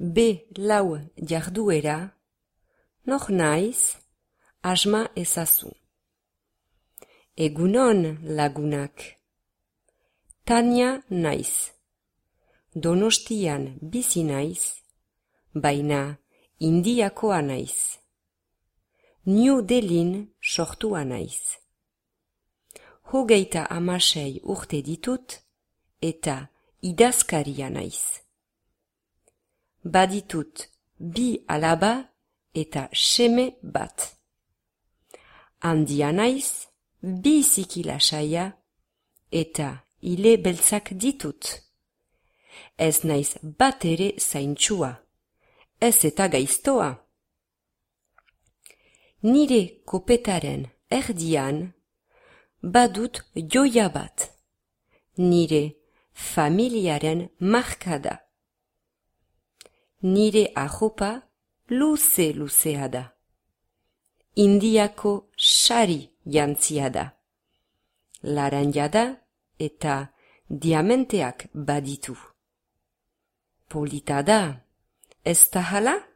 B4 jarduera, nor naiz, asma ezazu. Egunon lagunak. Tania naiz. Donostian bizi naiz, baina Indiakoa naiz. New Delhin sortua naiz. 36 urte ditut eta idazkaria naiz. Baditut 2 alaba eta seme bat. Handia naiz, biziki lasaia eta ile beltzak ditut. Ez naiz bat ere zaintsua, ez eta gaiztoa. Nire kopetaren erdian badut joia bat, nire familiaren marka da. Nire arropa luze-luzea da. Indiako sari jantzia da. Laranja da eta diamanteak baditu. Polita da, ez da hala?